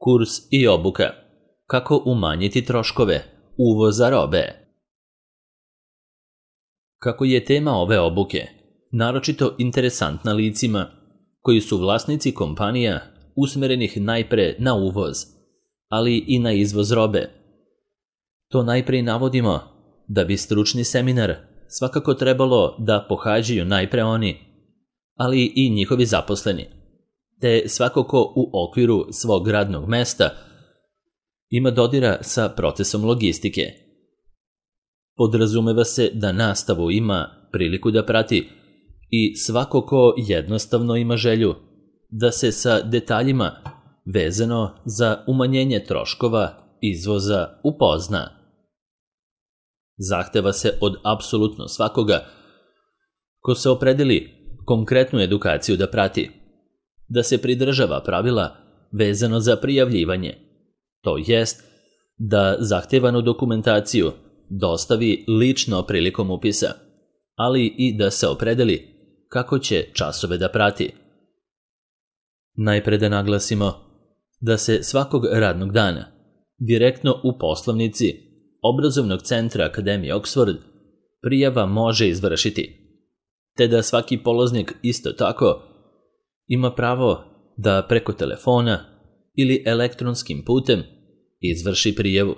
Kurs i obuka. Kako umanjiti troškove uvoza robe. Kako je tema ove obuke naročito interesantna licima koji su vlasnici kompanija usmerenih najpre na uvoz, ali i na izvoz robe. To najpre navodimo da bi stručni seminar svakako trebalo da pohađaju najpre oni, ali i njihovi zaposleni, te svako ko u okviru svog radnog mesta ima dodira sa procesom logistike. Podrazumeva se da nastavu ima priliku da prati i svako ko jednostavno ima želju da se sa detaljima vezano za umanjenje troškova izvoza upozna. Zahteva se od apsolutno svakoga ko se opredeli konkretnu edukaciju da prati, da se pridržava pravila vezano za prijavljivanje, to jest da zahtevanu dokumentaciju dostavi lično prilikom upisa, ali i da se opredeli kako će časove da prati. Najpre da naglasimo da se svakog radnog dana direktno u poslovnici Obrazovnog centra Akademije Oxford prijava može izvršiti, te da svaki polaznik isto tako ima pravo da preko telefona ili elektronskim putem izvrši prijavu.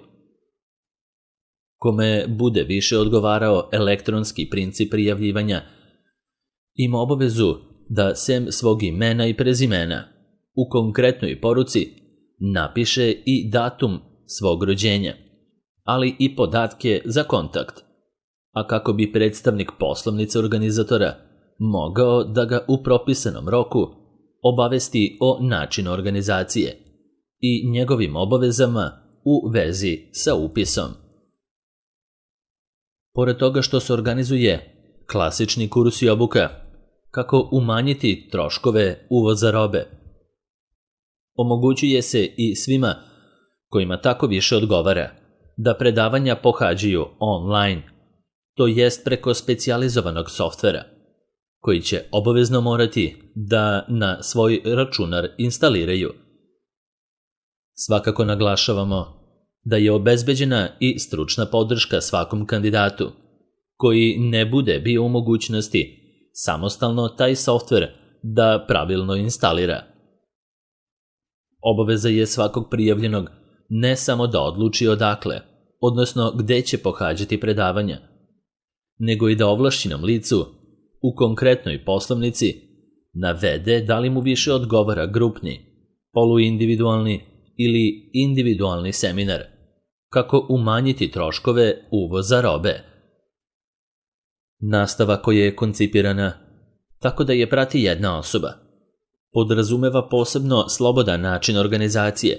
Kome bude više odgovarao elektronski princip prijavljivanja, ima obavezu da sem svog imena i prezimena u konkretnoj poruci napiše i datum svog rođenja, ali i podatke za kontakt, a kako bi predstavnik poslovnice organizatora mogao da ga u propisanom roku obavesti o načinu organizacije i njegovim obavezama u vezi sa upisom. Pored toga što se organizuje klasični kurs i obuka kako umanjiti troškove uvoza robe, omogućuje se i svima kojima tako više odgovara da predavanja pohađaju online, to jest preko specijalizovanog softvera, koji će obavezno morati da na svoj računar instaliraju. Svakako naglašavamo da je obezbeđena i stručna podrška svakom kandidatu koji ne bude bio u mogućnosti samostalno taj softver da pravilno instalira. Obaveza je svakog prijavljenog ne samo da odluči odakle, odnosno gde će pohađati predavanja, nego i da ovlašćenom licu u konkretnoj poslovnici navede da li mu više odgovara grupni, poluindividualni ili individualni seminar, kako umanjiti troškove uvoza robe. Nastava koja je koncipirana tako da je prati jedna osoba podrazumeva posebno slobodan način organizacije,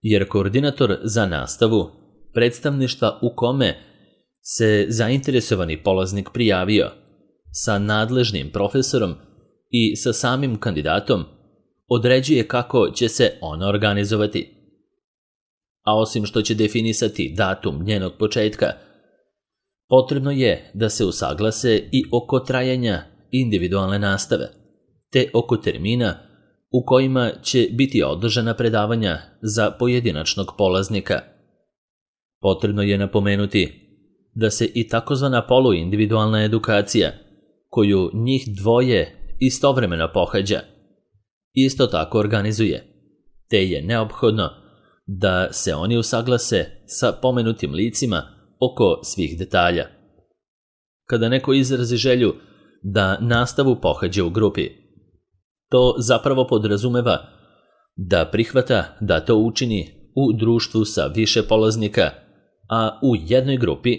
jer koordinator za nastavu predstavništva u kome se zainteresovani polaznik prijavio sa nadležnim profesorom i sa samim kandidatom određuje kako će se ona organizovati. A osim što će definisati datum njenog početka, potrebno je da se usaglase i oko trajanja individualne nastave, te oko termina u kojima će biti održana predavanja za pojedinačnog polaznika. Potrebno je napomenuti da se i takozvana poluindividualna edukacija, koju njih dvoje istovremeno pohađa, isto tako organizuje, te je neophodno da se oni usaglase sa pomenutim licima oko svih detalja. Kada neko izrazi želju da nastavu pohađa u grupi, to zapravo podrazumeva da prihvata da to učini u društvu sa više polaznika, a u jednoj grupi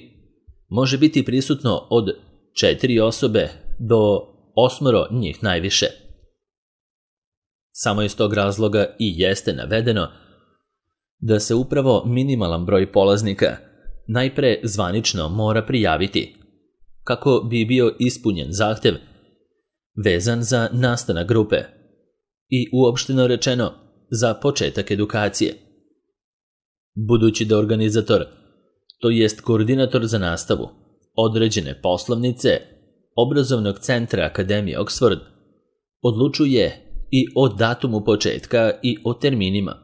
može biti prisutno od 4 osobe do 8 njih najviše. Samo iz tog razloga i jeste navedeno da se upravo minimalan broj polaznika najpre zvanično mora prijaviti, kako bi bio ispunjen zahtev vezan za nastanak grupe i uopšteno rečeno za početak edukacije. Budući da organizator, to jest koordinator za nastavu određene poslovnice Obrazovnog centra Akademije Oxford, odlučuje i o datumu početka i o terminima,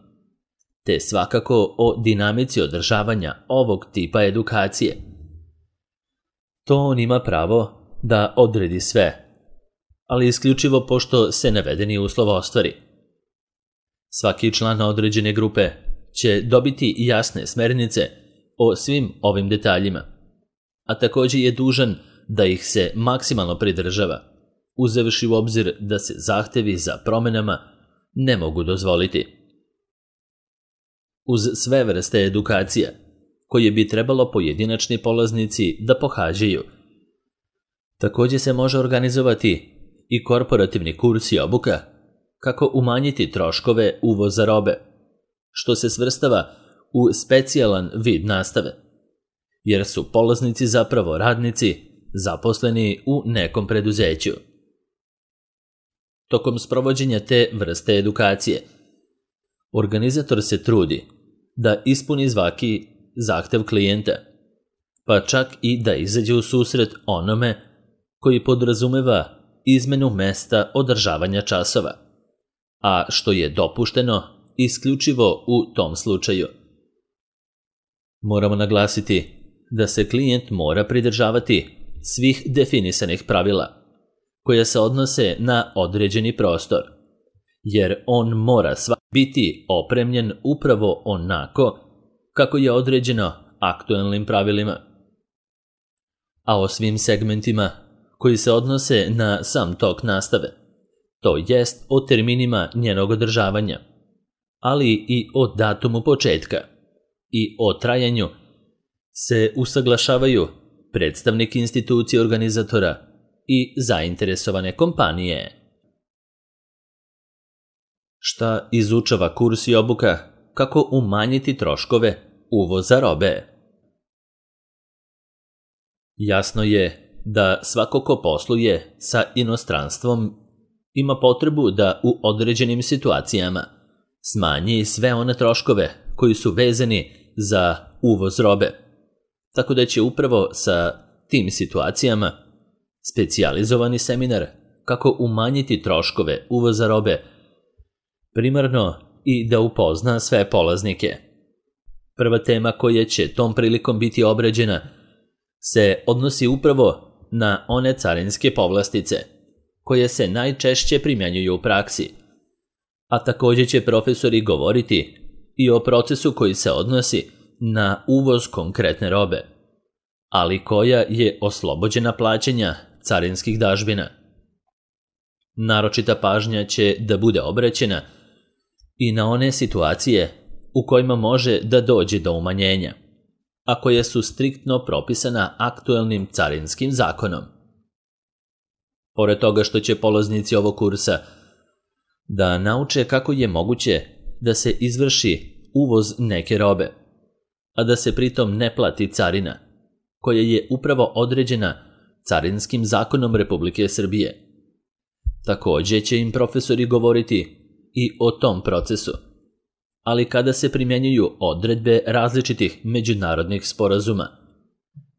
te svakako o dinamici održavanja ovog tipa edukacije. To on ima pravo da odredi sve, ali isključivo pošto se navedeni uslov ostvari. Svaki član određene grupe će dobiti jasne smernice o svim ovim detaljima, a također je dužan da ih se maksimalno pridržava, uzevši u obzir da se zahtevi za promjenama ne mogu dozvoliti. Uz sve vrste edukacija, koje bi trebalo pojedinačni polaznici da pohađaju, također se može organizovati i korporativni kurs i obuka kako umanjiti troškove uvoza robe, što se svrstava u specijalan vid nastave, jer su polaznici zapravo radnici zaposleni u nekom preduzeću. Tokom sprovođenja te vrste edukacije, organizator se trudi da ispuni svaki zahtev klijenta, pa čak i da izađe u susret onome koji podrazumeva izmenu mesta održavanja časova, a što je dopušteno isključivo u tom slučaju. Moramo naglasiti da se klijent mora pridržavati svih definisanih pravila koja se odnose na određeni prostor, jer on mora biti opremljen upravo onako kako je određeno aktualnim pravilima. A o svim segmentima koji se odnose na sam tok nastave, to jest o terminima njenog održavanja, ali i o datumu početka i o trajanju, se usaglašavaju predstavnik institucije organizatora i zainteresovane kompanije. Šta izučava kurs i obuka kako umanjiti troškove uvoza robe? Jasno je da svako ko posluje sa inostranstvom ima potrebu da u određenim situacijama smanji sve one troškove koji su vezani za uvoz robe, tako da će upravo sa tim situacijama specijalizovani seminar kako umanjiti troškove uvoza robe primarno i da upozna sve polaznike. Prva tema koja će tom prilikom biti obrađena se odnosi upravo na one carinske povlastice koje se najčešće primjenjuju u praksi, a također će profesori govoriti i o procesu koji se odnosi na uvoz konkretne robe, ali koja je oslobođena plaćanja carinskih dažbina. Naročita pažnja će da bude obraćena i na one situacije u kojima može da dođe do umanjenja, a koje su striktno propisana aktualnim carinskim zakonom. Pored toga što će polaznici ovog kursa da nauče kako je moguće da se izvrši uvoz neke robe, a da se pritom ne plati carina, koja je upravo određena Carinskim zakonom Republike Srbije. Također će im profesori govoriti i o tom procesu, ali kada se primjenjuju odredbe različitih međunarodnih sporazuma,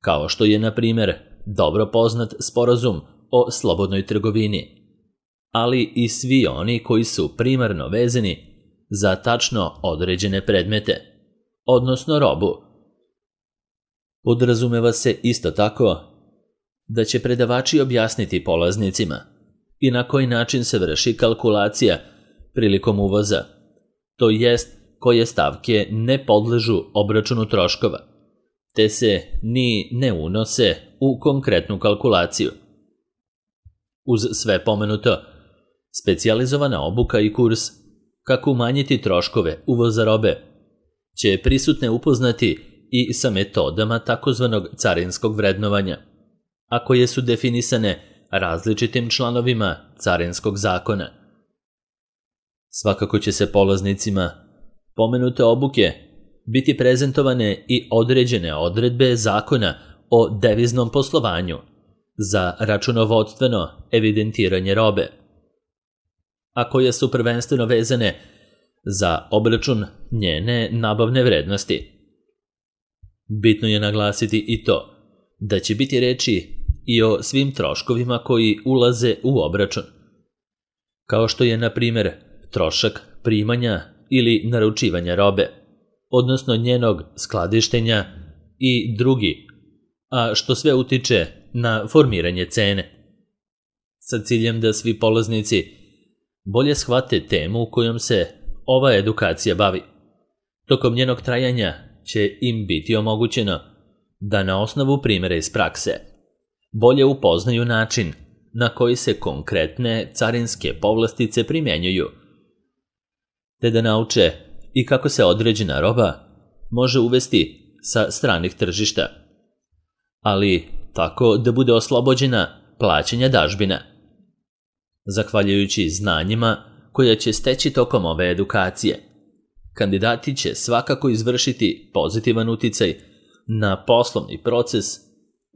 kao što je, na primjer, dobro poznat sporazum o slobodnoj trgovini, ali i svi oni koji su primarno vezani za tačno određene predmete, odnosno robu. Podrazumeva se isto tako da će predavači objasniti polaznicima i na koji način se vrši kalkulacija prilikom uvoza, to jest koje stavke ne podležu obračunu troškova, te se ni ne unose u konkretnu kalkulaciju. Uz sve pomenuto, specijalizovana obuka i kurs kako umanjiti troškove uvoza robe će prisutne upoznati i sa metodama takozvanog carinskog vrednovanja, a koje su definisane različitim članovima Carinskog zakona. Svakako će se polaznicima pomenute obuke biti prezentovane i određene odredbe zakona o deviznom poslovanju za računovodstveno evidentiranje robe, a koje su prvenstveno vezane za obračun njene nabavne vrednosti. Bitno je naglasiti i to da će biti reči i o svim troškovima koji ulaze u obračun, kao što je, na primjer, trošak primanja ili naručivanja robe, odnosno njenog skladištenja i drugi, a što sve utiče na formiranje cene. Sa ciljem da svi polaznici bolje shvate temu kojom se ova edukacija bavi. Tokom njenog trajanja će im biti omogućeno da na osnovu primjera iz prakse bolje upoznaju način na koji se konkretne carinske povlastice primjenjuju, te da nauče i kako se određena roba može uvesti sa stranih tržišta, ali tako da bude oslobođena plaćanja dažbina. Zahvaljujući znanjima koja će steći tokom ove edukacije, kandidati će svakako izvršiti pozitivan uticaj na poslovni proces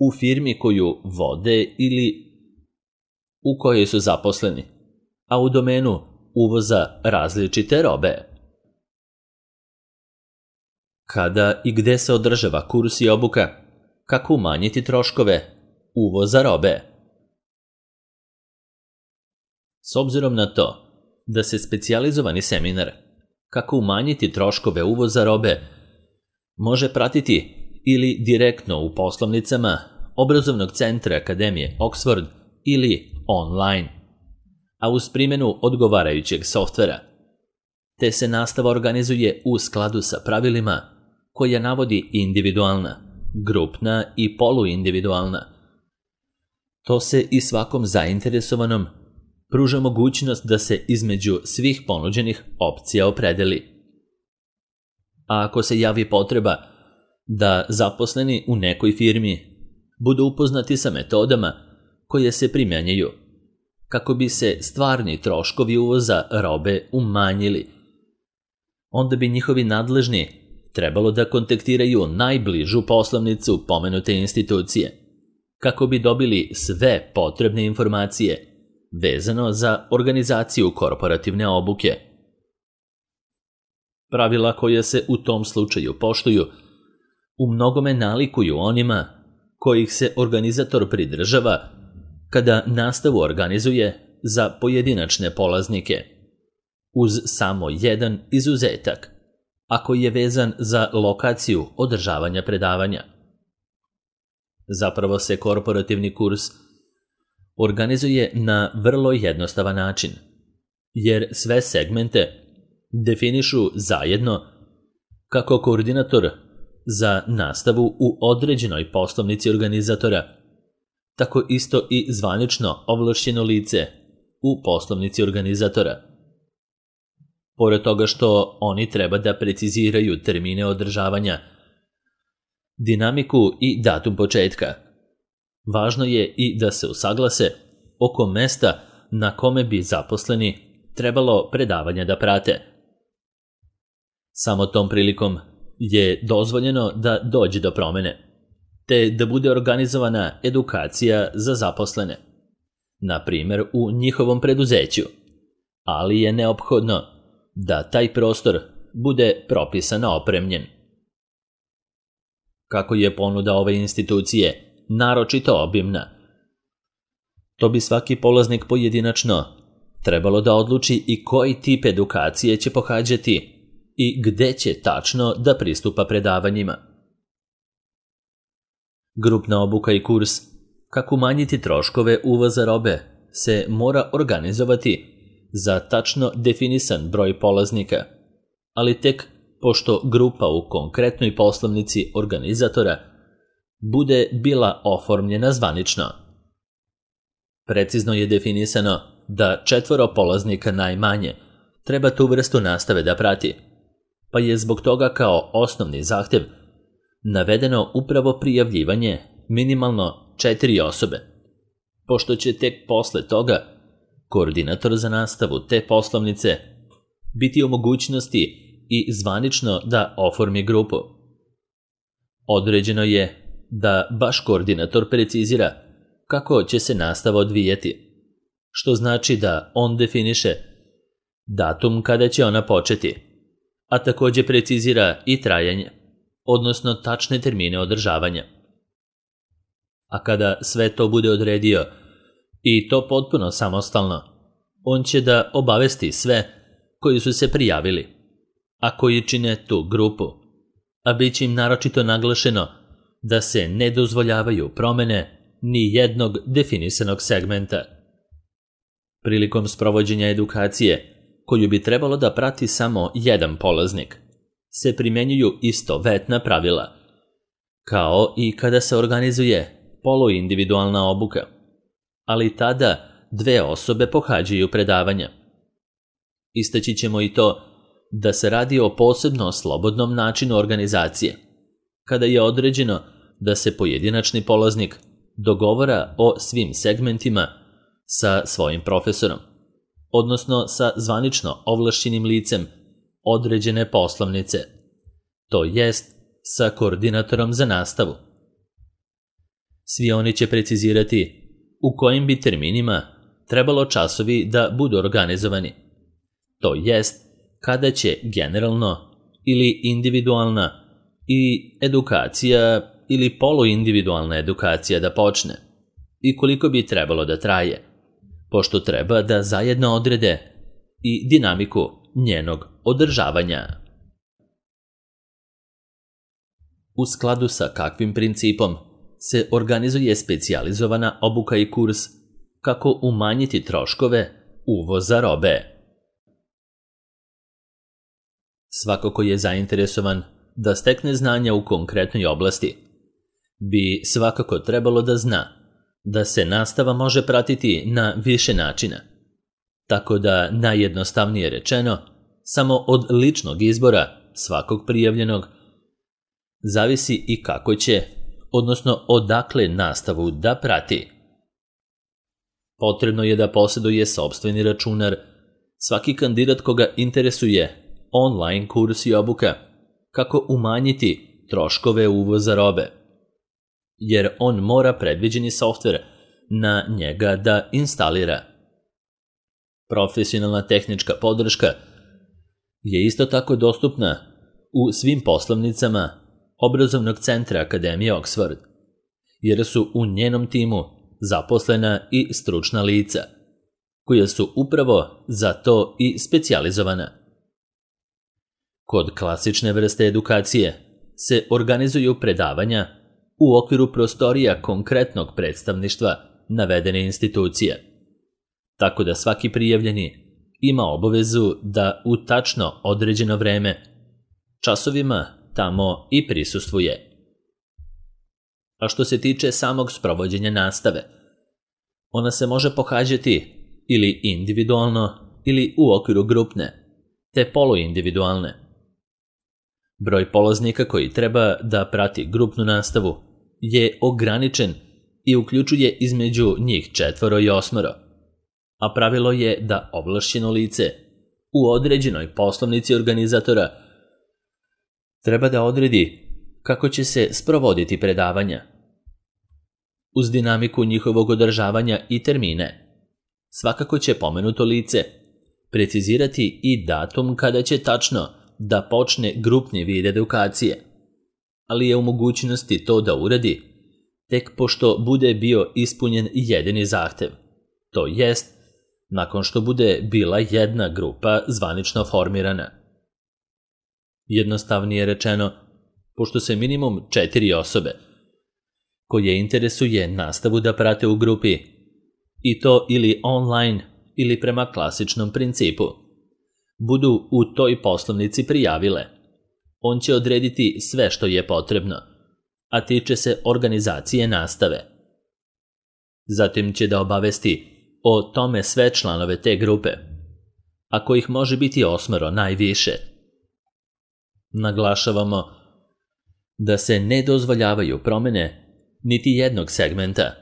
u firmi koju vode ili u kojoj su zaposleni, a u domenu uvoza različite robe. Kada i gde se održava kurs i obuka, kako umanjiti troškove uvoza robe? S obzirom na to da se specijalizovani seminar kako umanjiti troškove uvoza robe može pratiti ili direktno u poslovnicama obrazovnog centra Akademije Oxford ili online, a uz primjenu odgovarajućeg softvera, te se nastava organizuje u skladu sa pravilima koja navodi individualna, grupna i poluindividualna. To se i svakom zainteresovanom pruža mogućnost da se između svih ponuđenih opcija opredeli. A ako se javi potreba da zaposleni u nekoj firmi budu upoznati sa metodama koje se primjenjuju kako bi se stvarni troškovi uvoza robe umanjili, onda bi njihovi nadležni trebalo da kontaktiraju najbližu poslovnicu pomenute institucije kako bi dobili sve potrebne informacije vezano za organizaciju korporativne obuke. Pravila koja se u tom slučaju poštuju u mnogome nalikuju onima kojih se organizator pridržava kada nastavu organizuje za pojedinačne polaznike, uz samo jedan izuzetak, a koji je vezan za lokaciju održavanja predavanja. Zapravo se korporativni kurs organizuje na vrlo jednostavan način, jer sve segmente definišu zajedno kako koordinator za nastavu u određenoj poslovnici organizatora, tako isto i zvanično ovlašćeno lice u poslovnici organizatora. Pored toga što oni treba da preciziraju termine održavanja, dinamiku i datum početka, važno je i da se usaglase oko mesta na kome bi zaposleni trebalo predavanja da prate. Samo tom prilikom je dozvoljeno da dođe do promene, te da bude organizovana edukacija za zaposlene, na primjer u njihovom preduzeću, ali je neophodno da taj prostor bude propisano opremljen. Kako je ponuda ove institucije naročito obimna, to bi svaki polaznik pojedinačno trebalo da odluči i koji tip edukacije će pohađati i gde će tačno da pristupa predavanjima. Grupna obuka i kurs kako umanjiti troškove uvoza robe se mora organizovati za tačno definisan broj polaznika, ali tek pošto grupa u konkretnoj poslovnici organizatora bude bila oformljena zvanično. Precizno je definisano da 4 polaznika najmanje treba tu vrstu nastave da prati, pa je zbog toga kao osnovni zahtev navedeno upravo prijavljivanje minimalno 4 osobe, pošto će tek posle toga koordinator za nastavu te poslovnice biti u mogućnosti i zvanično da oformi grupu. Određeno je da baš koordinator precizira kako će se nastava odvijeti, što znači da on definiše datum kada će ona početi, a također precizira i trajanje, odnosno tačne termine održavanja. A kada sve to bude odredio, i to potpuno samostalno, on će da obavesti sve koji su se prijavili a koji čine tu grupu, a bit će im naročito naglašeno da se ne dozvoljavaju promene ni jednog definisanog segmenta. Prilikom sprovođenja edukacije, koju bi trebalo da prati samo jedan polaznik, se primjenjuju istovetna pravila, kao i kada se organizuje poluindividualna obuka, ali tada 2 osobe pohađaju predavanja. Istaći ćemo i to da se radi o posebno slobodnom načinu organizacije, kada je određeno da se pojedinačni polaznik dogovara o svim segmentima sa svojim profesorom, odnosno sa zvanično ovlašćenim licem određene poslovnice, to jest sa koordinatorom za nastavu. Svi oni će precizirati u kojim bi terminima trebalo časovi da budu organizovani, to jest kada će generalno ili individualna i edukacija ili poluindividualna edukacija da počne i koliko bi trebalo da traje, pošto treba da zajedno odrede i dinamiku njenog održavanja. U skladu sa kakvim principom se organizuje specijalizovana obuka i kurs, kako umanjiti troškove uvoza robe. Svako ko je zainteresovan da stekne znanja u konkretnoj oblasti, bi svakako trebalo da zna da se nastava može pratiti na više načina, tako da najjednostavnije rečeno, samo od ličnog izbora svakog prijavljenog zavisi i kako će, odnosno odakle nastavu da prati. Potrebno je da posjeduje sopstveni računar svaki kandidat koga interesuje online kurs i obuka, kako umanjiti troškove uvoza robe, jer on mora predviđeni softver na njega da instalira. Profesionalna tehnička podrška je isto tako dostupna u svim poslovnicama obrazovnog centra Akademije Oxford, jer su u njenom timu zaposlena i stručna lica, koja su upravo za to i specijalizovana. Kod klasične vrste edukacije se organizuju predavanja u okviru prostorija konkretnog predstavništva navedene institucije, tako da svaki prijavljeni ima obavezu da u tačno određeno vreme časovima tamo i prisustvuje. A što se tiče samog sprovođenja nastave, ona se može pohađati ili individualno ili u okviru grupne, te poluindividualne. Broj polaznika koji treba da prati grupnu nastavu je ograničen i uključuje između njih 4 i 8, a pravilo je da ovlašćeno lice u određenoj poslovnici organizatora treba da odredi kako će se sprovoditi predavanja. Uz dinamiku njihovog održavanja i termine, svakako će pomenuto lice precizirati i datum kada će tačno da počne grupni vid edukacije, ali je u mogućnosti to da uradi tek pošto bude bio ispunjen jedini zahtev, to jest nakon što bude bila jedna grupa zvanično formirana. Jednostavnije rečeno, pošto se minimum 4 osobe koje interesuje nastavu da prate u grupi, i to ili online ili prema klasičnom principu, budu u toj poslovnici prijavile, on će odrediti sve što je potrebno, a tiče se organizacije nastave. Zatim će da obavesti o tome sve članove te grupe, a kojih može biti 8 najviše. Naglašavamo da se ne dozvoljavaju promene niti jednog segmenta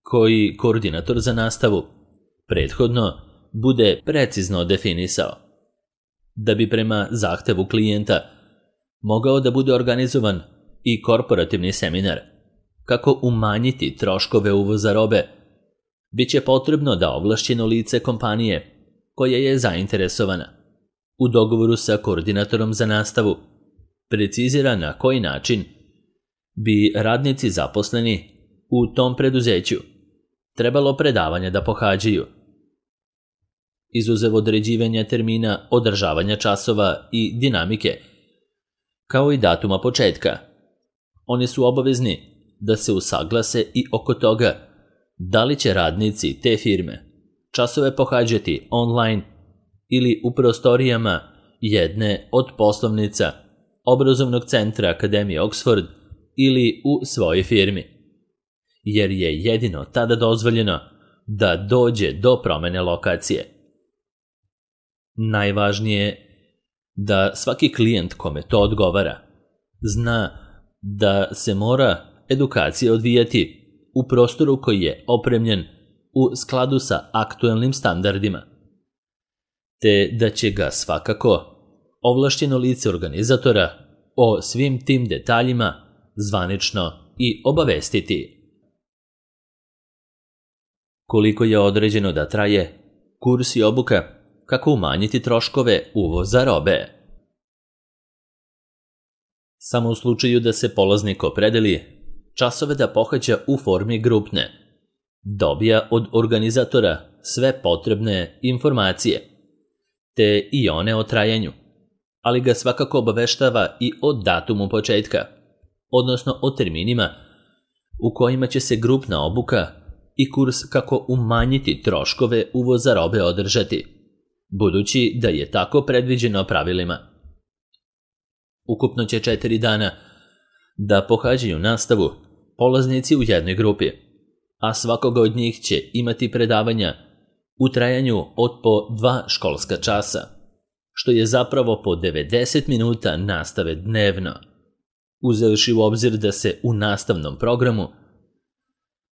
koji koordinator za nastavu prethodno bude precizno definisao, da bi prema zahtevu klijenta mogao da bude organizovan i korporativni seminar kako umanjiti troškove uvoza robe. Biće potrebno da ovlašćeno lice kompanije koja je zainteresovana u dogovoru sa koordinatorom za nastavu precizira na koji način bi radnici zaposleni u tom preduzeću trebalo predavanja da pohađaju. izuzev određivanja termina, održavanja časova i dinamike, kao i datuma početka. Oni su obavezni da se usaglase i oko toga da li će radnici te firme časove pohađati online ili u prostorijama jedne od poslovnica obrazovnog centra Akademije Oxford ili u svojoj firmi, jer je jedino tada dozvoljeno da dođe do promene lokacije. Najvažnije je da svaki klijent kome to odgovara zna da se mora edukacija odvijati u prostoru koji je opremljen u skladu sa aktuelnim standardima, te da će ga svakako ovlašćeno lice organizatora o svim tim detaljima zvanično i obavestiti. Koliko je određeno da traje kurs i obuka, kako umanjiti troškove uvoza robe? Samo u slučaju da se polaznik opredeli časove da pohađa u formi grupne, dobija od organizatora sve potrebne informacije, te i one o trajanju, ali ga svakako obaveštava i o datumu početka, odnosno o terminima u kojima će se grupna obuka i kurs kako umanjiti troškove uvoza robe održati, budući da je tako predviđeno pravilima. Ukupno će 4 dana da pohađaju nastavu polaznici u jednoj grupi, a svakoga od njih će imati predavanja u trajanju od po 2 školska časa, što je zapravo po 90 minuta nastave dnevno, uzevši u obzir da se u nastavnom programu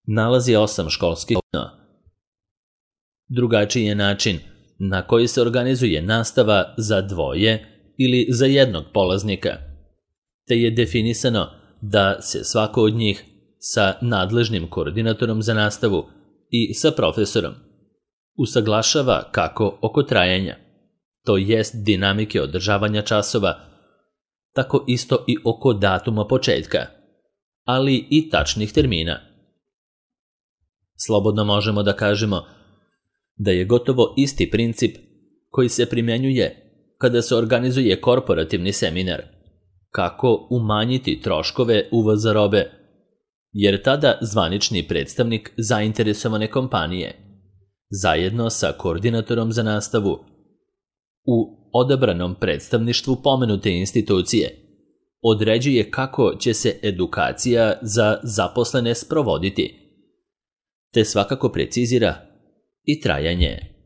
nalazi 8 školskih dana. Drugačiji je način na koji se organizuje nastava za 2 ili za 1 polaznika, te je definisano da se svako od njih sa nadležnim koordinatorom za nastavu i sa profesorom usaglašava kako oko trajanja, to jest dinamike održavanja časova, tako isto i oko datuma početka, ali i tačnih termina. Slobodno možemo da kažemo da je gotovo isti princip koji se primjenjuje kada se organizuje korporativni seminar, kako umanjiti troškove uvoza robe, jer tada zvanični predstavnik zainteresovane kompanije, zajedno sa koordinatorom za nastavu, u odabranom predstavništvu pomenute institucije, određuje kako će se edukacija za zaposlene sprovoditi, te svakako precizira i trajanje.